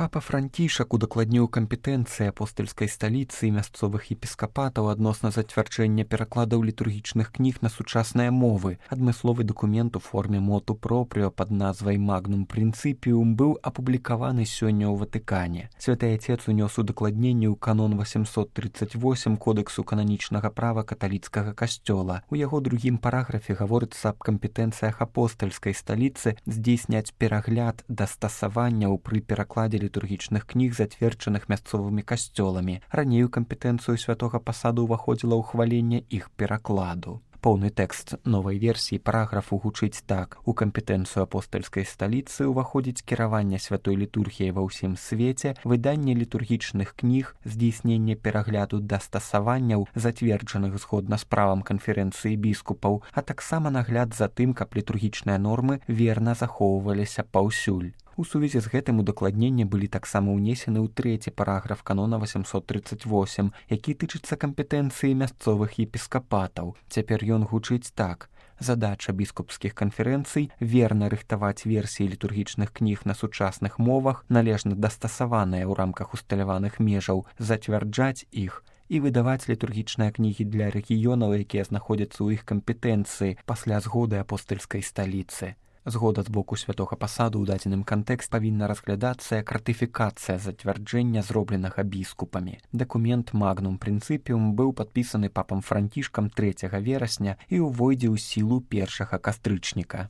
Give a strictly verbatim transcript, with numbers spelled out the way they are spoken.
Папа Францішак удакладніў кампетэнцыі апостальскай сталіцы і мясцовых епіскапатаў адносна зацвярджэння перакладаў літургічных кніг на сучасныя мовы. Адмысловы дакумент у форме моту пропрыо пад назвай «Магнум Принципиум» быў апублікаваны сёння ў Ватыкане. Святы Отец унёс удакладненне ў канон восемьсот тридцать восемь Кодэксу кананічнага права каталіцкага касцёла. У яго другім параграфе гаворыцца аб кампетэнцыях апостальскай сталіцы здзейсняць перагляд дастасаванняў пры перакладзе літургічных кніг, зацверджаных мясцовымі касцёламі. Раней у кампетэнцыю святога пасаду ўваходзіла ўхваленне іх перакладу. Поўны тэкст новай версіі параграфу гучыць так: у кампетэнцыю апостальскай сталіцы ўваходзіць кіраванне святой літургіяй ва ўсім свеце, выданне літургічных кніг, здзейсненне перагляду дастасаванняў, зацверджаных згодна з правам канферэнцыі біскупаў, а таксама нагляд за тым, каб літургічныя нормы верна захоўваліся паўсюль. У сувязі з гэтым удакладненні былі таксама ўнесены ў трэці параграф канона восемьсот тридцать восемь, які тычыцца кампетэнцыі мясцовых епіскапатаў. Цяпер ён гучыць так: задача біскупскіх канферэнцый верна рыхтаваць версіі літургічных кніг на сучасных мовах, належна дастасаваныя ў рамках усталяваных межаў, зацвярджаць іх і выдаваць літургічныя кнігі для рэгіёнаў, якія знаходзяцца ў іх кампетэнцыі пасля згоды апостальскай сталіцы. Згода з боку святога пасаду ў дадзеным кантэкст павінна разглядацца як ратыфікацыя зацвярджэння, зробленага біскупамі. Дакумент «Магнум Принципиум» быў падпісаны папам Францішкам трэцяга верасня і ўвойдзе ў сілу першага кастрычніка.